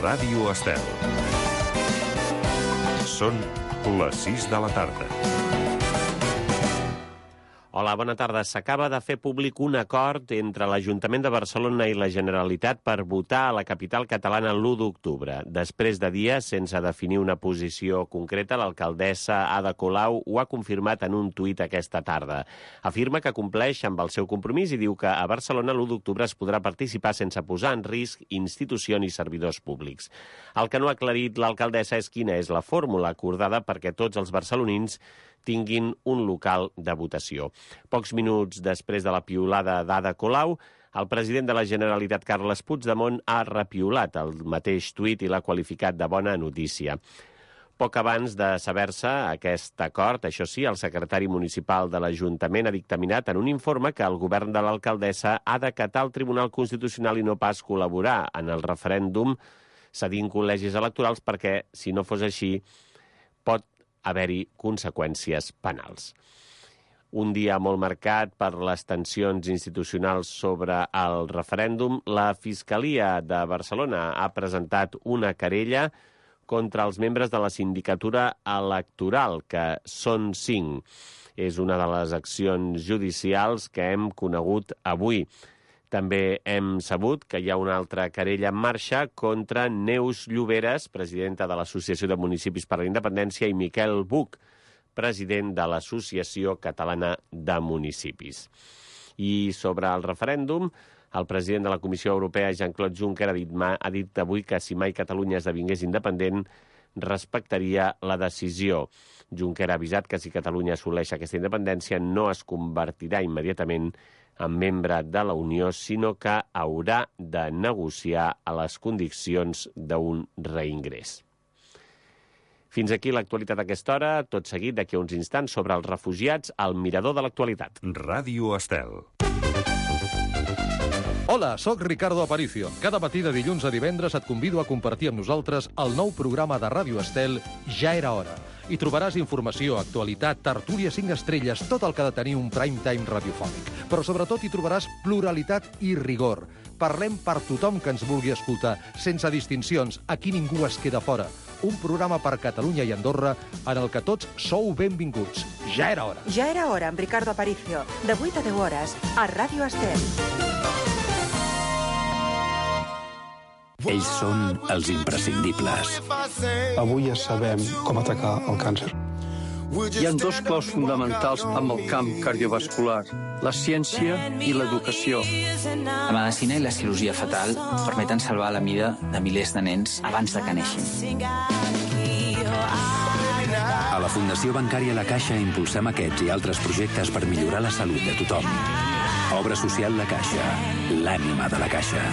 Ràdio Estel. Són les 6 de la tarda. Hola, bona tarda. S'acaba de fer públic un acord entre l'Ajuntament de Barcelona i la Generalitat per votar a la capital catalana l'1 d'octubre. Després de dies sense definir una posició concreta, l'alcaldessa Ada Colau ho ha confirmat en un tuit aquesta tarda. Afirma que compleix amb el seu compromís i diu que a Barcelona l'1 d'octubre es podrà participar sense posar en risc institucions i servidors públics. El que no ha aclarit l'alcaldessa és quina és la fórmula acordada perquè tots els barcelonins tinguin un local de votació. Pocs minuts després de la piulada d'Ada Colau, el president de la Generalitat, Carles Puigdemont, ha repiolat el mateix tuit i l'ha qualificat de bona notícia. Poc abans de saber-se aquest acord, això sí, el secretari municipal de l'Ajuntament ha dictaminat en un informe que el govern de l'alcaldessa ha d'acatar el Tribunal Constitucional i no pas col·laborar en el referèndum cedint col·legis electorals perquè, si no fos així, pot haver-hi conseqüències penals. Un dia molt marcat per les tensions institucionals sobre el referèndum, la Fiscalia de Barcelona ha presentat una querella contra els membres de la sindicatura electoral, que són 5. És una de les accions judicials que hem conegut avui. També hem sabut que hi ha una altra querella en marxa contra Neus Lloberes, presidenta de l'Associació de Municipis per la Independència, i Miquel Buch, president de l'Associació Catalana de Municipis. I sobre el referèndum, el president de la Comissió Europea, Jean-Claude Juncker, ha dit avui que si mai Catalunya esdevingués independent, respectaria la decisió. Juncker ha avisat que si Catalunya assoleix aquesta independència no es convertirà immediatament en membre de la Unió, sinó que haurà de negociar a les condicions d'un reingrés. Fins aquí l'actualitat a aquesta hora. Tot seguit, d'aquí a uns instants, sobre els refugiats, al mirador de l'actualitat. Ràdio Estel. Hola, sóc Ricardo Aparicio. Cada matí de dilluns a divendres et convido a compartir amb nosaltres el nou programa de Ràdio Estel, Ja era hora. Hi trobaràs informació, actualitat, tertúlia 5 estrelles, tot el que ha de tenir un prime time radiofònic. Però sobretot hi trobaràs pluralitat i rigor. Parlem per tothom que ens vulgui escoltar, sense distincions, aquí ningú es queda fora. Un programa per Catalunya i Andorra en el que tots sou benvinguts. Ja era hora. Ja era hora, amb Ricardo Aparicio, de 8 a 10 hores, a Ràdio Estel. Ells són els imprescindibles. Avui ja sabem com atacar el càncer. Hi ha 2 claus fonamentals amb el camp cardiovascular, la ciència i l'educació. La medicina i la cirurgia fetal permeten salvar la vida de milers de nens abans de que neixin. A la Fundació Bancària La Caixa impulsem aquests i altres projectes per millorar la salut de tothom. Obra social La Caixa, l'ànima de la Caixa.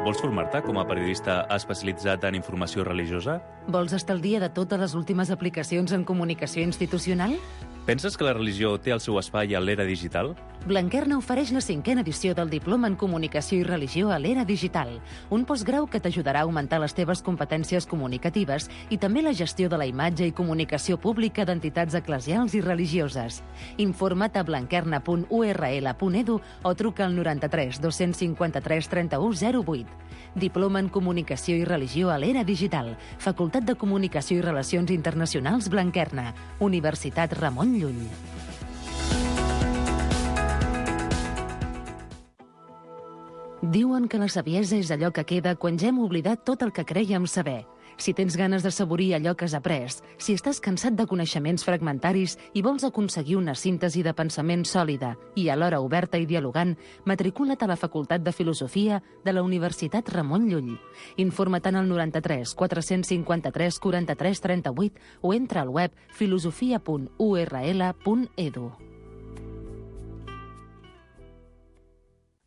Vols formar-te com a periodista especialitzat en informació religiosa? Vols estar al dia de totes les últimes aplicacions en comunicació institucional? Penses que la religió té el seu espai a l'era digital? Blanquerna ofereix la 5a edició del Diploma en Comunicació i Religió a l'era digital, un postgrau que t'ajudarà a augmentar les teves competències comunicatives i també la gestió de la imatge i comunicació pública d'entitats eclesials i religioses. Informa't a blanquerna.url.edu o truca al 93 253 31 08. Diploma en Comunicació i Religió a l'era digital, Facultat de Comunicació i Relacions Internacionals Blanquerna, Universitat Ramon Llull. Diuen que la saviesa és allò que queda quan ja hem oblidat tot el que crèiem saber. Si tens ganes de saborir allò que has après, si estàs cansat de coneixements fragmentaris i vols aconseguir una síntesi de pensament sòlida i alhora oberta i dialogant, matricula't a la Facultat de Filosofia de la Universitat Ramon Llull. Informa't al 93 453 43 38 o entra al web filosofia.url.edu.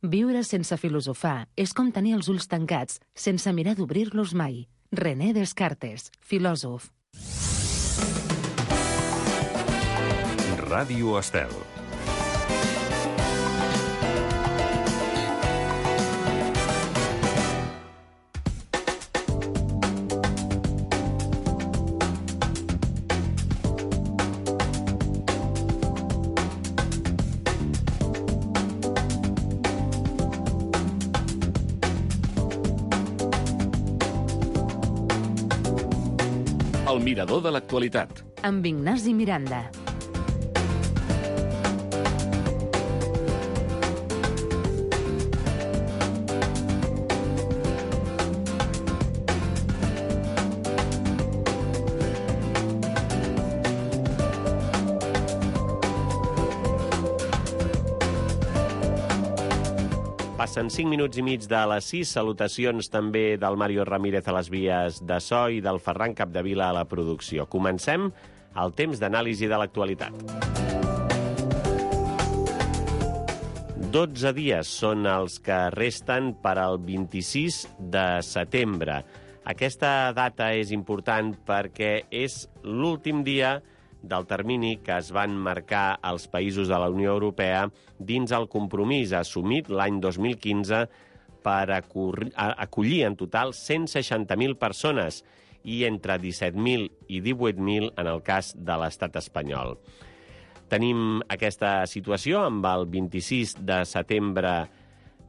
Viure sense filosofar és com tenir els ulls tancats sense mirar d'obrir-los mai. René Descartes, filòsof. Ràdio Estel. El mirador de l'actualitat. Amb Ignasi Miranda. Passen 5 minuts i mig de les 6. Salutacions també del Mario Ramírez a les vies de so i del Ferran Capdevila a la producció. Comencem el temps d'anàlisi de l'actualitat. 12 dies són els que resten per al 26 de setembre. Aquesta data és important perquè és l'últim dia del termini que es van marcar els països de la Unió Europea dins el compromís assumit l'any 2015 per acollir en total 160.000 persones i entre 17.000 i 18.000 en el cas de l'estat espanyol. Tenim aquesta situació amb el 26 de setembre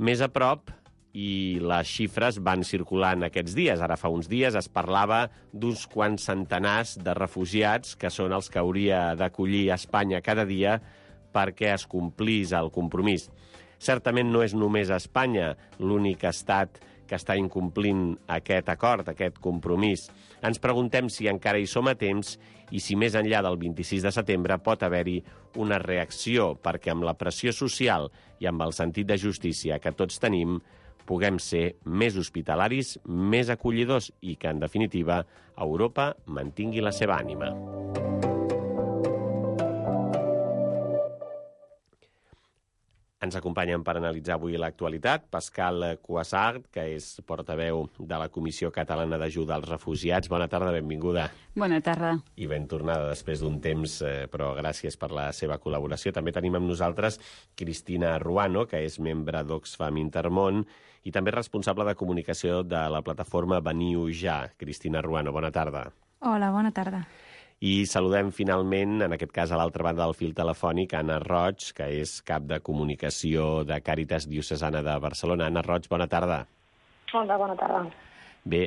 més a prop i les xifres van circulant aquests dies. Ara fa uns dies es parlava d'uns quants centenars de refugiats que són els que hauria d'acollir Espanya cada dia perquè es complís el compromís. Certament no és només Espanya l'únic estat que està incomplint aquest acord, aquest compromís. Ens preguntem si encara hi som a temps i si més enllà del 26 de setembre pot haver-hi una reacció perquè amb la pressió social i amb el sentit de justícia que tots tenim puguem ser més hospitalaris, més acollidors i que, en definitiva, Europa mantingui la seva ànima. Ens acompanyen per analitzar avui l'actualitat Pascal Cuassart, que és portaveu de la Comissió Catalana d'Ajuda als Refugiats. Bona tarda, benvinguda. Bona tarda. I ben tornada després d'un temps, però gràcies per la seva col·laboració. També tenim amb nosaltres Cristina Ruano, que és membre d'Oxfam Intermón i també responsable de comunicació de la plataforma Veniu Ja. Cristina Ruano, bona tarda. Hola, bona tarda. I saludem finalment, en aquest cas a l'altra banda del fil telefònic, Anna Roig, que és cap de comunicació de Càritas Diocesana de Barcelona. Anna Roig, bona tarda. Hola, bona tarda. Bé,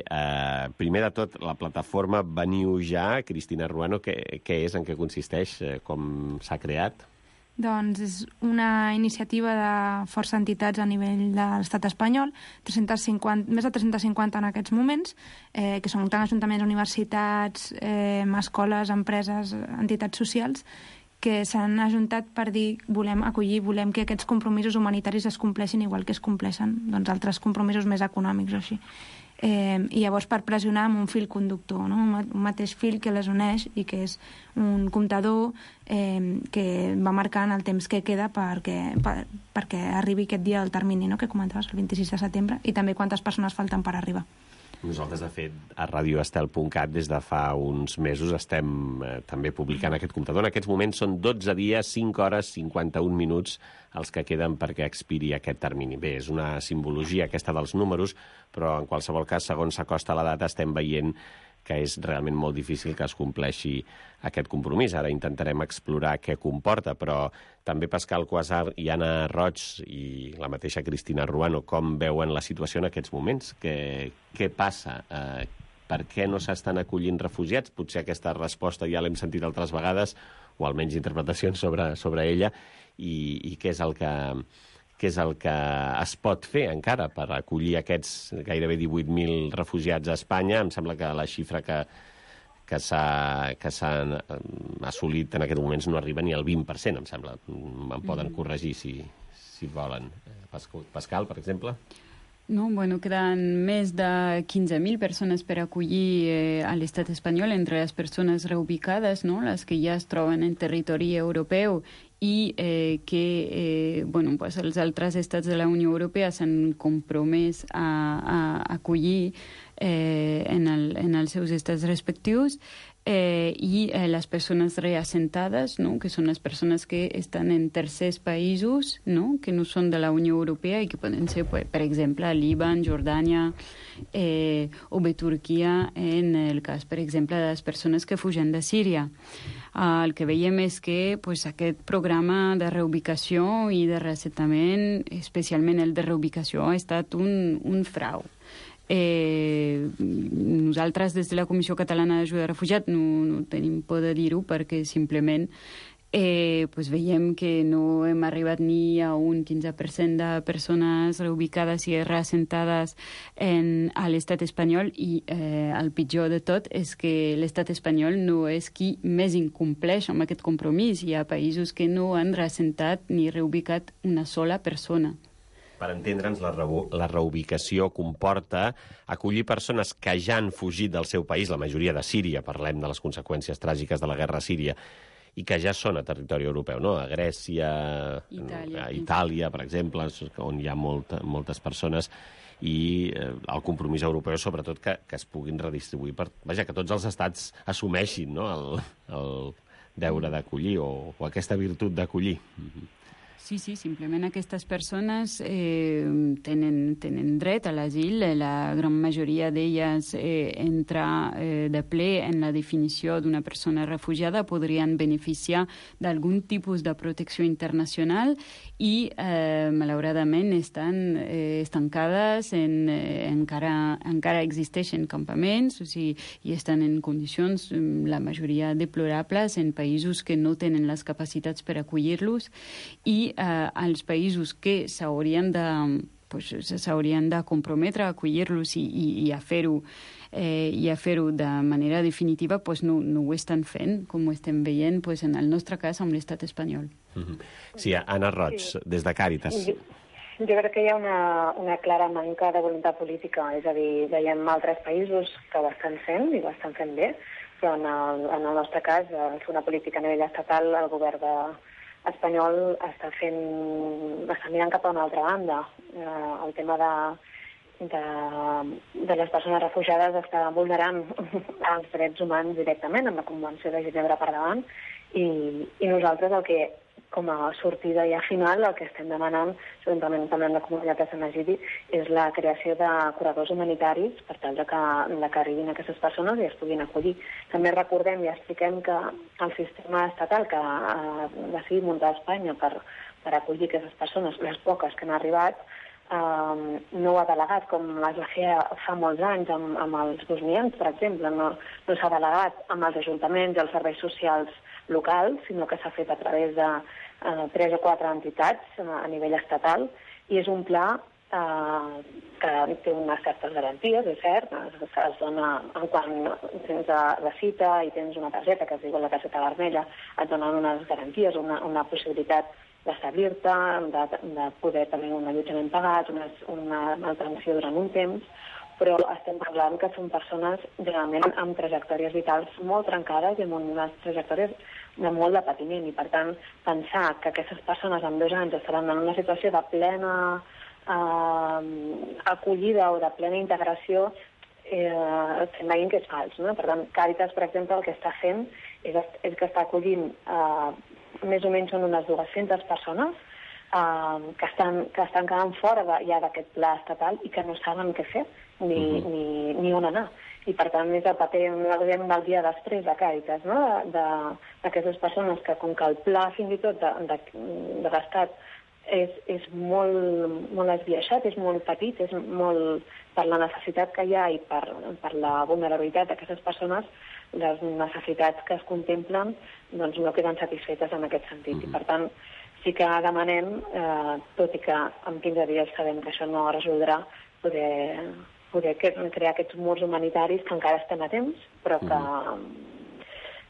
primer de tot, la plataforma Veniu Ja, Cristina Ruano, què és, en què consisteix, com s'ha creat? Doncs és una iniciativa de força entitats a nivell de l'estat espanyol, més de 350 en aquests moments, que són tant ajuntaments, universitats, escoles, empreses, entitats socials, que s'han ajuntat per dir volem acollir, volem que aquests compromisos humanitaris es compleixin igual que es compleixen altres compromisos més econòmics o així. I llavors per pressionar amb un fil conductor, no? Un mateix fil que les uneix i que és un comptador que va marcant el temps que queda perquè arribi aquest dia del termini, no? Que comentaves, el 26 de setembre, i també quantes persones falten per arribar. Nosaltres, de fet, a radioestel.cat des de fa uns mesos estem també publicant aquest comptador. En aquests moments són 12 dies, 5 hores, 51 minuts els que queden perquè expiri aquest termini. Bé, és una simbologia aquesta dels números, però en qualsevol cas, segons s'acosta la data, estem veient que és realment molt difícil que es compleixi aquest compromís. Ara intentarem explorar què comporta, però també Pascal Cuassart i Anna Roig i la mateixa Cristina Ruano, com veuen la situació en aquests moments? Què passa? Per què no s'estan acollint refugiats? Potser aquesta resposta ja l'hem sentit altres vegades, o almenys interpretacions sobre ella, i què és el que es pot fer encara per acollir aquests gairebé 18.000 refugiats a Espanya. Em sembla que la xifra que s'ha assolit en aquests moments no arriba ni al 20%, em sembla. Em poden corregir si volen. Pascal, per exemple? No, bueno, quedan més de 15.000 persones per acollir a l'estat espanyol, entre les persones reubicades, no? Les que ja es troben en territori europeu i que pues els altres estats de la Unió Europea s'han compromès a acollir en els seus estats respectius, i les persones reassentades, no? Que són les persones que estan en tercers països, no? Que no són de la Unió Europea i que poden ser, per exemple, Líban, Jordània o bé Turquia, en el cas, per exemple, de les persones que fugen de Síria. El que veiem és que aquest programa de reubicació i de reassentament, especialment el de reubicació, ha estat un frau. Nosaltres, des de la Comissió Catalana d'Ajuda a Refugiats, no tenim por de dir-ho, perquè simplement veiem que no hem arribat ni a un 15% de persones reubicades i reassentades a l'estat espanyol, i el pitjor de tot és que l'estat espanyol no és qui més incompleix amb aquest compromís. Hi ha països que no han reassentat ni reubicat una sola persona. Per entendre'ns, la reubicació comporta acollir persones que ja han fugit del seu país, la majoria de Síria, parlem de les conseqüències tràgiques de la guerra a Síria, i que ja són a territori europeu, no? A Grècia, a Itàlia, per exemple, on hi ha moltes persones, i el compromís europeu, sobretot, que es puguin redistribuir. Que tots els estats assumeixin, no?, el deure d'acollir o aquesta virtut d'acollir. Sí, simplement aquestes persones tenen dret a l'asil. La gran majoria d'elles entra de ple en la definició d'una persona refugiada, podrien beneficiar d'algun tipus de protecció internacional i, malauradament, estan estancades, encara existeixen campaments, i estan en condicions, la majoria deplorables, en països que no tenen les capacitats per acollir-los, i als països que s'haurien de comprometre a acollir-los i a fer-ho de manera definitiva, no ho estan fent, com ho estem veient en el nostre cas amb l'estat espanyol. Sí, Anna Roig, des de Càritas. Jo crec que hi ha una clara manca de voluntat política, és a dir, veiem altres països que ho estan fent i ho estan fent bé, però en el nostre cas, al fer una política a nivell estatal, el govern espanyol està mirant cap a una altra banda. El tema de les persones refugiades està vulnerant els drets humans directament, amb la Convenció de Ginebra per davant, i nosaltres el que, com a sortida ja final, el que estem demanant, juntament també amb la comunitat de Sant Egidi, és la creació de corredors humanitaris per tal que arribin aquestes persones i es puguin acollir. També recordem i expliquem que el sistema estatal que ha decidit muntar a Espanya per acollir aquestes persones, les poques que han arribat, no ho ha delegat com es va fer fa molts anys amb els bosnians, per exemple. No s'ha delegat amb els ajuntaments i els serveis socials locals, sinó que s'ha fet a través de 3 o 4 entitats a nivell estatal, i és un pla que té unes certes garanties, és cert, es dona quan tens la cita i tens una targeta que es diu la targeta vermella, et donen unes garanties, una possibilitat d'establir-te, de poder tenir un allotjament pagat, una manutenció durant un temps, però estem parlant que són persones realment amb trajectòries vitals molt trencades i amb unes trajectòries de molt de patiment, i per tant pensar que aquestes persones en 2 anys estaran en una situació de plena acollida o de plena integració, estem veient que és fals, no? Per tant, Càritas, per exemple, el que està fent és que està acollint més o menys són unes 200 persones que estan quedant fora ja d'aquest pla estatal i que no saben què fer ni on anar. I per tant és el paper del dia després de Càritas, no? D'aquestes persones que, com que el pla fins i tot de l'Estat és molt esbiaixat, és molt petit, és molt per la necessitat que hi ha i per la vulnerabilitat d'aquestes persones, les necessitats que es contemplen doncs no queden satisfetes en aquest sentit. I per tant sí que demanem, tot i que en 15 dies sabem que això no resoldrà, poder crear aquests murs humanitaris que encara estem a temps, però que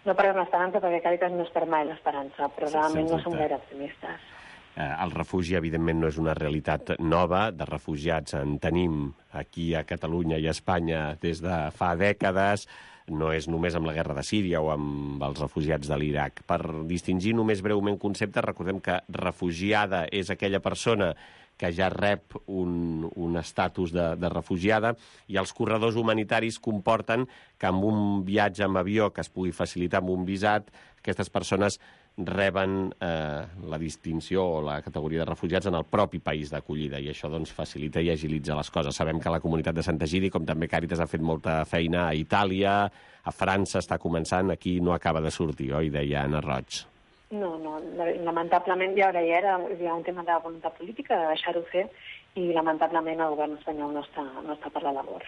no perdem l'esperança, perquè Càritas no es perd mai l'esperança, però realment no som gaire optimistes. El refugi, evidentment, no és una realitat nova. De refugiats en tenim aquí a Catalunya i a Espanya des de fa dècades. No és només amb la guerra de Síria o amb els refugiats de l'Iraq. Per distingir només breument conceptes, recordem que refugiada és aquella persona que ja rep un estatus de refugiada, i els corredors humanitaris comporten que amb un viatge amb avió que es pugui facilitar amb un visat, aquestes persones reben la distinció o la categoria de refugiats en el propi país d'acollida, i això doncs facilita i agilitza les coses. Sabem que la comunitat de Sant Egidi, com també Càritas, ha fet molta feina a Itàlia, a França està començant, aquí no acaba de sortir, oi? Deia Anna Roig. No, lamentablement ja era un tema de voluntat política, de deixar-ho fer, i lamentablement el govern espanyol no està per la labor.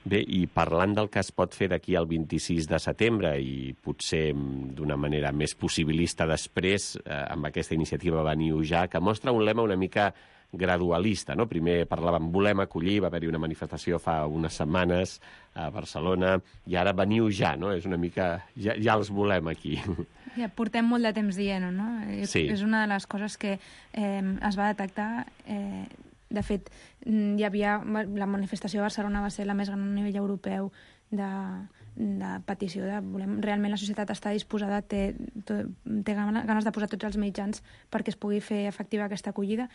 Bé, i parlant del que es pot fer d'aquí al 26 de setembre i potser d'una manera més possibilista després, amb aquesta iniciativa Veniu Ja, que mostra un lema una mica gradualista, no? Primer parlàvem volem acollir, va haver-hi una manifestació fa unes setmanes a Barcelona, i ara Veniu Ja, no? És una mica... Ja els volem aquí. Ja portem molt de temps dient-ho, no? Sí. És una de les coses que es va detectar. De fet, hi havia... La manifestació de Barcelona va ser la més gran a nivell europeu de petició de volem... Realment la societat està disposada, té ganes de posar tots els mitjans perquè es pugui fer efectiva aquesta acollida.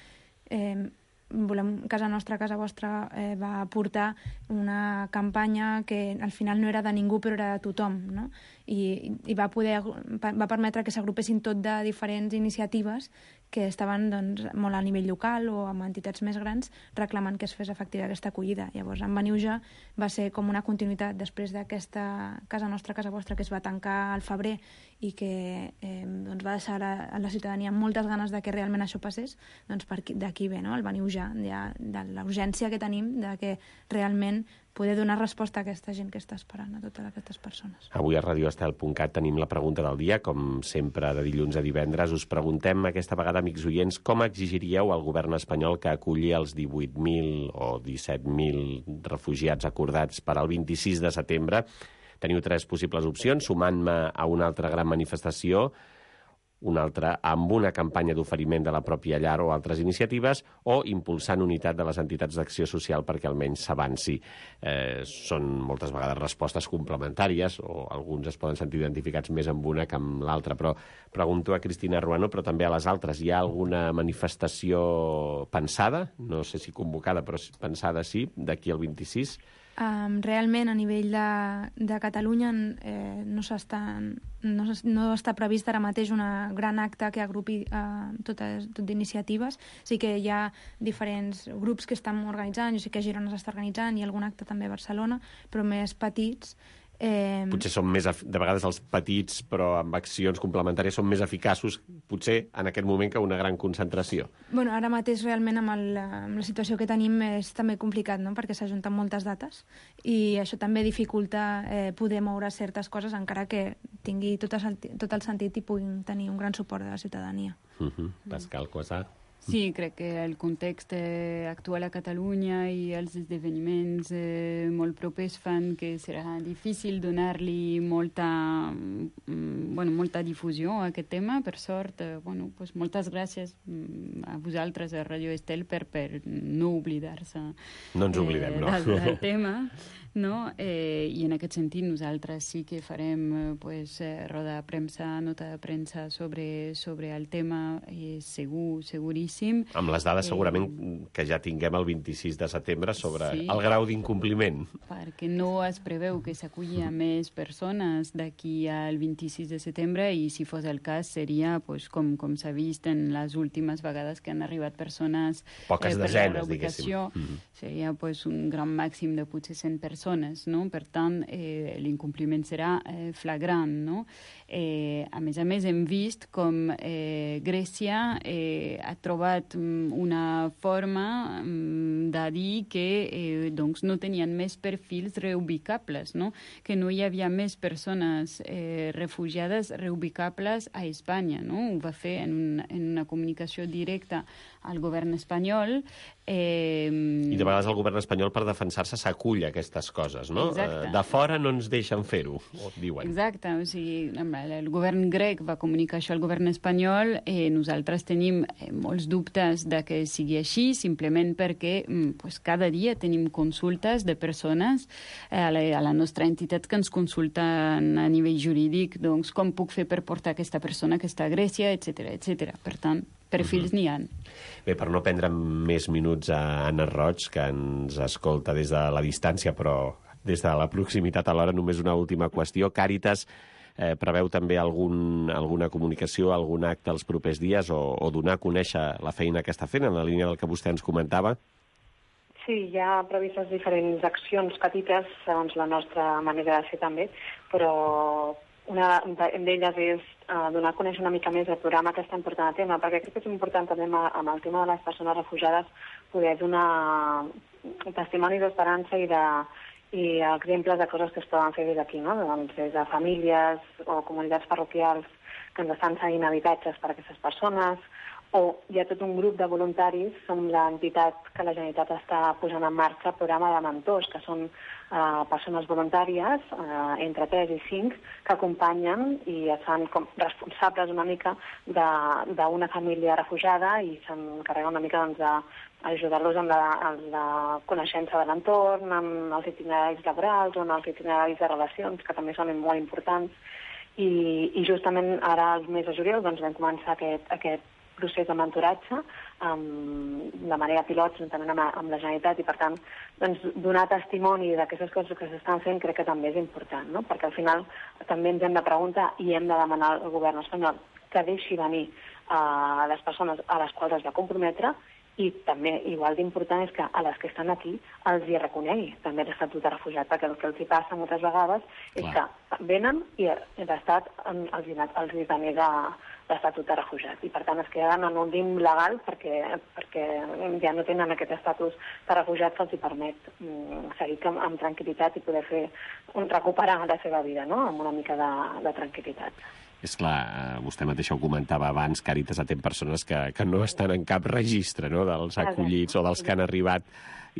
Volem Casa Nostra, Casa Vostra va portar una campanya que al final no era de ningú però era de tothom, no? I va permetre que s'agrupessin tot de diferents iniciatives que estaven doncs, molt a nivell local o amb entitats més grans reclamant que es fes efectiva aquesta acollida. Llavors, en Veniu Ja va ser com una continuïtat després d'aquesta Casa Nostra, Casa Vostra, que es va tancar al febrer i que doncs va deixar a la ciutadania amb moltes ganes de que realment això passés, doncs d'aquí ve, no? El Veniu Ja, de la urgència que tenim de que realment poder donar resposta a aquesta gent que està esperant, a totes aquestes persones. Avui a radioestel.cat tenim la pregunta del dia, com sempre de dilluns a divendres. Us preguntem aquesta vegada, amics oients, com exigiríeu al govern espanyol que aculli els 18.000 o 17.000 refugiats acordats per al 26 de setembre? Teniu 3 possibles opcions, sumant-me a una altra gran manifestació, una altra amb una campanya d'oferiment de la pròpia llar o altres iniciatives, o impulsant unitat de les entitats d'acció social perquè almenys s'avanci. Són moltes vegades respostes complementàries, o alguns es poden sentir identificats més amb una que amb l'altra, però pregunto a Cristina Ruano, però també a les altres. Hi ha alguna manifestació pensada, no sé si convocada, però pensada sí, d'aquí al 26? Realment, a nivell de Catalunya no està previst ara mateix una gran acte que agrupi tot d'iniciatives. Sí que hi ha diferents grups que estan organitzant, jo sé que a Girona s'està organitzant, i algun acte també a Barcelona, però més petits. Potser són més, de vegades els petits, però amb accions complementàries, són més eficaços, potser en aquest moment, que una gran concentració. Bueno, ara mateix realment amb la situació que tenim és també complicat, no? Perquè s'ajunten moltes dates i això també dificulta poder moure certes coses, encara que tingui tot el sentit i puguin tenir un gran suport de la ciutadania. Pascal Cuassar. Sí, crec que el context actual a Catalunya i els esdeveniments molt propers fan que serà difícil donar-li molta difusió a aquest tema. Per sort, moltes gràcies a vosaltres, a Radio Estel, per no oblidar-se del tema. No? I en aquest sentit nosaltres sí que farem roda de premsa, nota de premsa sobre el tema, seguríssim. Amb les dades segurament que ja tinguem el 26 de setembre sobre el grau d'incompliment. Perquè no es preveu que s'aculli a més persones d'aquí al 26 de setembre, i si fos el cas seria, com s'ha vist en les últimes vegades que han arribat persones poques desenes, diguéssim. Seria un gran màxim de potser 100 persones, no? Per tant, l'incompliment serà flagrant, no? A més, hem vist com Grècia ha trobat una forma de dir que no tenien més perfils reubicables, no? Que no hi havia més persones refugiades reubicables a Espanya, no? Ho va fer en una comunicació directa al govern espanyol. I de vegades el govern espanyol, per defensar-se, s'acull a aquestes coses, no? De fora no ens deixen fer-ho, diuen. Exacte, o sigui, el govern grec va comunicar això al govern espanyol. Nosaltres tenim molts dubtes de que sigui així, simplement perquè cada dia tenim consultes de persones a la nostra entitat que ens consulten a nivell jurídic, doncs com puc fer per portar aquesta persona que està a Grècia, etc. Per tant, perfils n'hi ha. Bé, per no prendre més minuts a Anna Roig, que ens escolta des de la distància, però des de la proximitat alhora, només una última qüestió. Càritas preveu també alguna comunicació, algun acte els propers dies, o donar a conèixer la feina que està fent, en la línia del que vostè ens comentava? Sí, hi ha previstes diferents accions petites, segons la nostra manera de ser també, però una d'elles és donar a conèixer una mica més el programa que estem portant a tema, perquè crec que és important també amb el tema de les persones refugiades poder donar testimonis d'esperança i exemples de coses que es poden fer des d'aquí, no? Doncs des de famílies o comunitats parroquials que ens estan cedint habitatges per a aquestes persones, o hi ha tot un grup de voluntaris, som l'entitat que la Generalitat està posant en marxa el programa de mentors, que són persones voluntàries, entre 3 i 5, que acompanyen i es fan com responsables una mica d'una família refugiada i s'encarreguen una mica d'ajudar-los amb la coneixença de l'entorn, amb els itineraris laborals o amb els itineraris de relacions, que també són molt importants. I justament ara, al mes de juliol, doncs vam començar aquest procés de mentoratge de manera pilot juntament amb la Generalitat i, per tant, doncs, donar testimoni d'aquestes coses que s'estan fent crec que també és important, no? Perquè al final també ens hem de preguntar i hem de demanar al govern espanyol que deixi venir les persones a les quals es va comprometre i també igual d'important és que a les que estan aquí els hi reconegui també l'estatut de refugiat, perquè el que els hi passa moltes vegades és que venen i l'Estat els hi denega l'estatut de refugiat i per tant es queden en un limbo legal perquè ja no tenen aquest estatus de refugiat que els hi permet seguir amb tranquil·litat i poder recuperar la seva vida, no? Amb una mica de tranquil·litat. És clar, vostè mateix ho comentava abans, Càritas atén persones que no estan en cap registre, no?, dels acollits o dels que han arribat,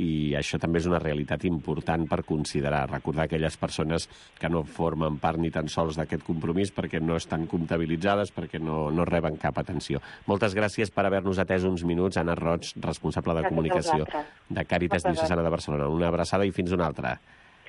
i això també és una realitat important per considerar, recordar aquelles persones que no formen part ni tan sols d'aquest compromís perquè no estan comptabilitzades, perquè no reben cap atenció. Moltes gràcies per haver-nos atès uns minuts, Anna Roig, responsable de comunicació de Càritas Diocesana de Barcelona. Una abraçada i fins una altra.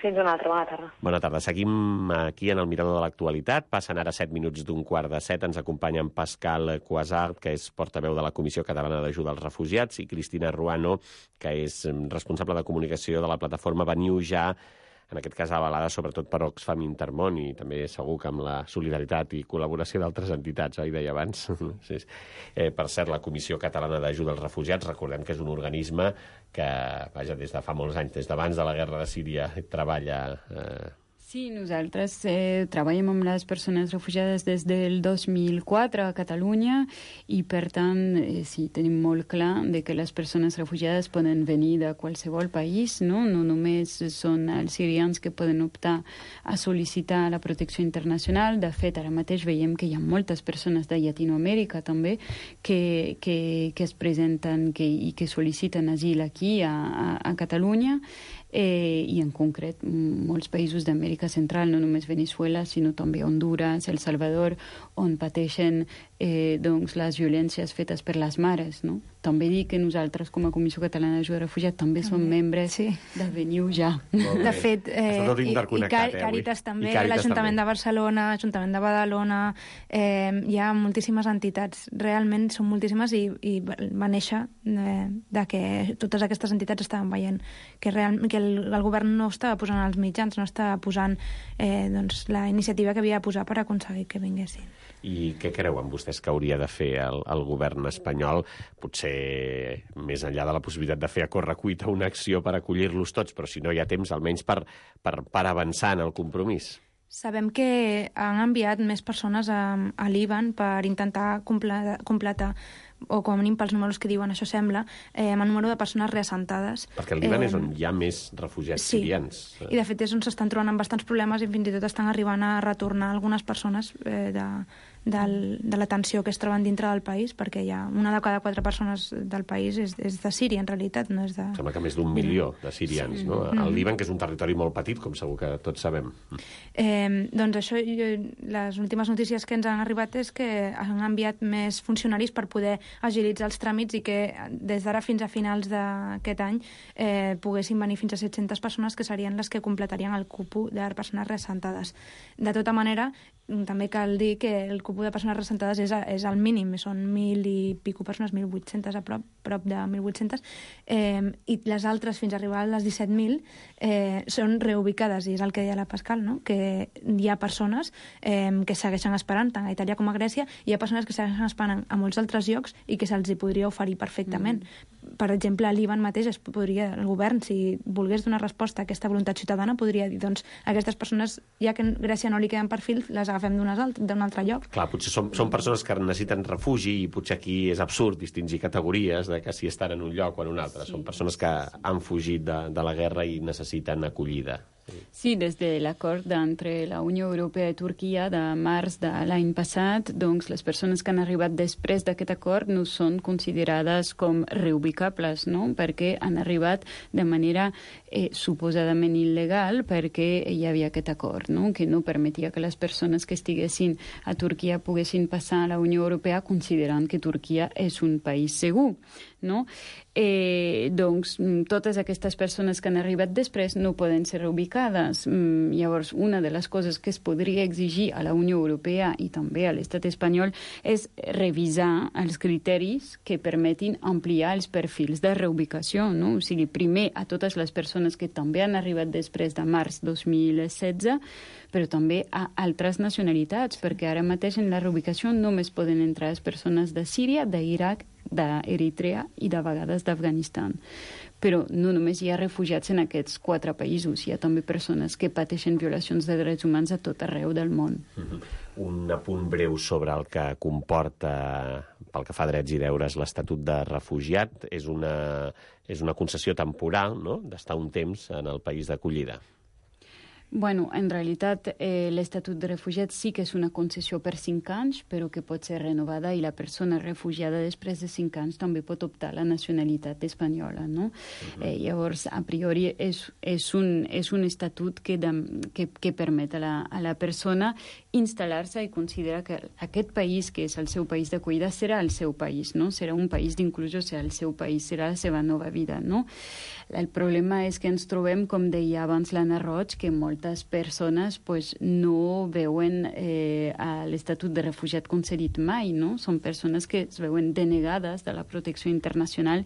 Fins una altra, bona tarda. Bona tarda. Seguim aquí en el Mirador de l'Actualitat. Passen ara 7 minuts d'un 6:15. Ens acompanyen Pascal Cuasart, que és portaveu de la Comissió Catalana d'Ajuda als Refugiats, i Cristina Ruano, que és responsable de comunicació de la plataforma Veniu Ja, en aquest cas avalada sobretot per Oxfam Intermón i també segur que amb la solidaritat i col·laboració d'altres entitats, oi, deia abans. Sí. Per cert, la Comissió Catalana d'Ajuda als Refugiats, recordem que és un organisme que, vaja, des de fa molts anys, des d'abans de la guerra de Síria, treballa... Sí, nosaltres treballem amb les persones refugiades des del 2004 a Catalunya i, per tant, sí, tenim molt clar de que les persones refugiades poden venir de qualsevol país, no? No només són els sirians que poden optar a sol·licitar la protecció internacional. De fet, ara mateix veiem que hi ha moltes persones de Llatinoamèrica també que es presenten i que sol·liciten asil aquí a Catalunya. I en concret molts països d'Amèrica Central, no només Venezuela, sinó també Honduras, El Salvador, on pateixen doncs, les violències fetes per les mares, no? També dic que nosaltres, com a Comissió Catalana d'Ajuda al Refugiat, també som membres de Veniu Ja. De fet, Càritas també, l'Ajuntament de Barcelona, l'Ajuntament de Badalona, hi ha moltíssimes entitats, realment són moltíssimes i va néixer de que totes aquestes entitats estaven veient que el govern no estava posant els mitjans, no estava posant la iniciativa que havia de posar per aconseguir que vinguessin. I què creuen vostès que hauria de fer el govern espanyol? Potser més enllà de la possibilitat de fer a correcuita una acció per acollir-los tots, però si no hi ha temps, almenys per avançar en el compromís. Sabem que han enviat més persones a Líban per intentar completar o com a mínim pels números que diuen, això sembla, amb el número de persones reassentades. Perquè el Líban és on hi ha més refugiats sirians. I de fet és on s'estan trobant amb bastants problemes i fins i tot estan arribant a retornar algunes persones de la tensió que es troben dintre del país, perquè hi ha una de cada 4 persones del país és de Síria, en realitat, no és de... Sembla que més d'1 milió de sirians, no? El Líban, que és un territori molt petit, com segur que tots sabem. Doncs això, les últimes notícies que ens han arribat és que han enviat més funcionaris per poder agilitzar els tràmits i que des d'ara fins a finals d'aquest any poguessin venir fins a 700 persones que serien les que completarien el cupú de persones reassentades. De tota manera, també cal dir que el cupú de persones reassentades és el mínim, són 1.000 i pico persones, 1.800 a prop de 1.800, i les altres, fins a arribar a les 17.000, són reubicades, i és el que deia la Pascal, no? Que hi ha persones que segueixen esperant, tant a Itàlia com a Grècia, i hi ha persones que segueixen esperant a molts altres llocs i que se'ls hi podria oferir perfectament. per exemple, a Líban mateix el govern, si volgués donar resposta a aquesta voluntat ciutadana, podria dir, doncs, aquestes persones, ja que a Grècia no li queden perfils, les agafem d'un altre lloc. Clar, potser són persones que necessiten refugi i potser aquí és absurd distingir categories de que si estan en un lloc o en un altre. Són persones que han fugit de la guerra i necessiten acollida. Sí, des de l'acord entre la Unió Europea i Turquia de març de l'any passat, doncs les persones que han arribat després d'aquest acord no són considerades com reubicables, no? Perquè han arribat de manera suposadament il·legal perquè hi havia aquest acord, no? Que no permetia que les persones que estiguessin a Turquia poguessin passar a la Unió Europea considerant que Turquia és un país segur, no? Doncs totes aquestes persones que han arribat després no poden ser reubicades. Llavors, una de les coses que es podria exigir a la Unió Europea i també a l'estat espanyol és revisar els criteris que permetin ampliar els perfils de reubicació, no? O sigui, primer a totes les persones que també han arribat després de març 2016, però també a altres nacionalitats, perquè ara mateix en la reubicació només poden entrar les persones de Síria, d'Iraq, d'Eritrea i de vegades d'Afganistan. Però no només hi ha refugiats en aquests 4 països, hi ha també persones que pateixen violacions de drets humans a tot arreu del món. Un apunt breu sobre el que comporta, pel que fa a drets i deures, l'Estatut de Refugiat. És una concessió temporal, no?, d'estar un temps en el país d'acollida. Bueno, en realitat, l'Estatut de Refugiat sí que és una concessió per 5 anys, però que pot ser renovada i la persona refugiada després de 5 anys també pot optar a la nacionalitat espanyola, no? Llavors, a priori, és un estatut que permet a la persona instal·lar-se i considerar que aquest país, que és el seu país d'acollida, serà el seu país, no? Serà un país d'inclusió, serà el seu país, serà la seva nova vida, no? El problema és que ens trobem, com deia abans l'Anna Roig, que moltes persones no veuen a l'Estatut de Refugiat concedit mai, no? Són persones que es veuen denegades de la protecció internacional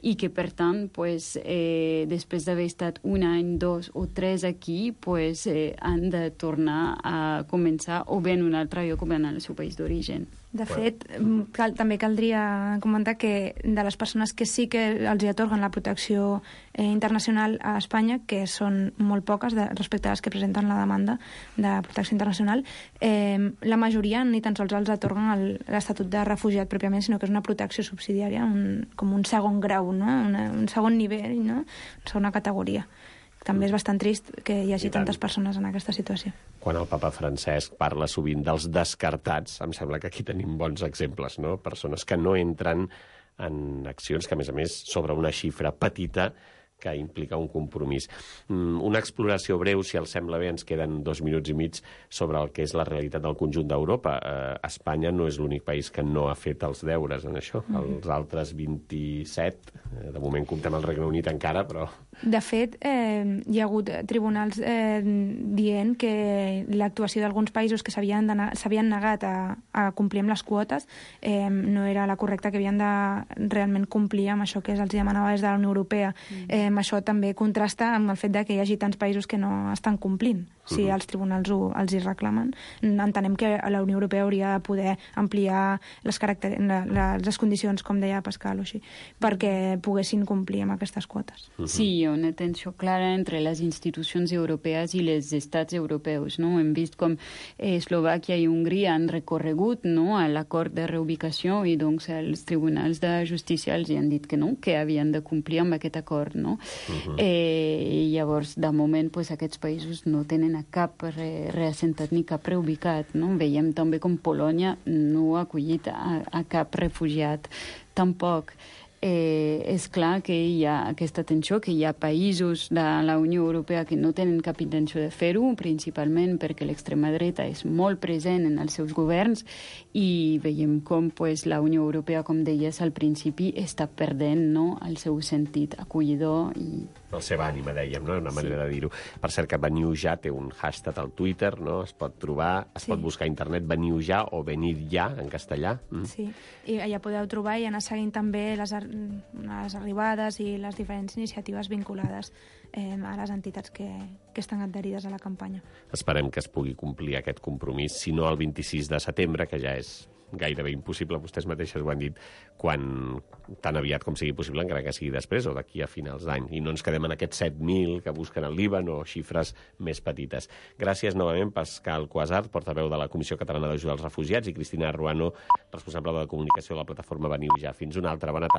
i que, per tant, després d'haver estat 1 any, 2 o 3 aquí, han de tornar a començar o bé en un altre lloc o bé en el seu país d'origen. De fet, també caldria comentar que de les persones que sí que els hi atorguen la protecció internacional a Espanya, que són molt poques respecte a les que presenten la demanda de protecció internacional, la majoria ni tan sols els atorguen l'Estatut de Refugiat pròpiament, sinó que és una protecció subsidiària, com un segon grau, no? Un segon nivell, no? Una segona categoria. També és bastant trist que hi hagi tantes persones en aquesta situació. Quan el papa Francesc parla sovint dels descartats, em sembla que aquí tenim bons exemples, no? Persones que no entren en accions que, a més, sobre una xifra petita que implica un compromís. Una exploració breu, si els sembla bé, ens queden 2 minuts i mig sobre el que és la realitat del conjunt d'Europa. Espanya no és l'únic país que no ha fet els deures en això. Els altres 27, de moment comptem el Regne Unit encara, però... De fet, hi ha hagut tribunals dient que l'actuació d'alguns països que s'havien negat a complir amb les quotes no era la correcta, que havien de realment complir amb això que els demanava des de la Unió Europea. Això també contrasta amb el fet de que hi hagi tants països que no estan complint. Si els tribunals els hi reclamen, entenem que la Unió Europea hauria de poder ampliar les condicions, com deia Pascal, o així, perquè poguessin complir amb aquestes quotes. Sí, hi ha una tensió clara entre les institucions europees i els estats europeus, no? Hem vist com Eslovàquia i Hongria han recorregut, no?, a l'acord de reubicació i doncs els tribunals de justícia els han dit que no, que havien de complir amb aquest acord, no? Llavors, de moment, aquests països no tenen a cap reassentat ni cap reubicat, no? Veiem també com Polònia no ha acollit a cap refugiat tampoc. És clar que hi ha aquesta tensió, que hi ha països de la Unió Europea que no tenen cap intenció de fer-ho, principalment perquè l'extrema dreta és molt present en els seus governs i veiem com la Unió Europea, com deies al principi, està perdent, no?, el seu sentit acollidor i... La seva ànima, dèiem, no? Una manera de dir-ho. Per cert, que Veniu ja té un hashtag al Twitter, no? Es pot trobar, pot buscar a internet Veniu ja o Venir ja, en castellà. Sí, i allà podeu trobar i anar seguint també les arribades i les diferents iniciatives vinculades a les entitats que estan adherides a la campanya. Esperem que es pugui complir aquest compromís, si no el 26 de setembre, que ja és gairebé impossible, vostès mateixes ho han dit, quan tan aviat com sigui possible, encara que sigui després o d'aquí a finals d'any. I no ens quedem en aquests 7.000 que busquen al Líban o xifres més petites. Gràcies novament, Pascal Cuasart, portaveu de la Comissió Catalana d'Ajuda als Refugiats, i Cristina Ruano, responsable de la comunicació de la plataforma Veniu Ja. Fins una altra. Bona tarda.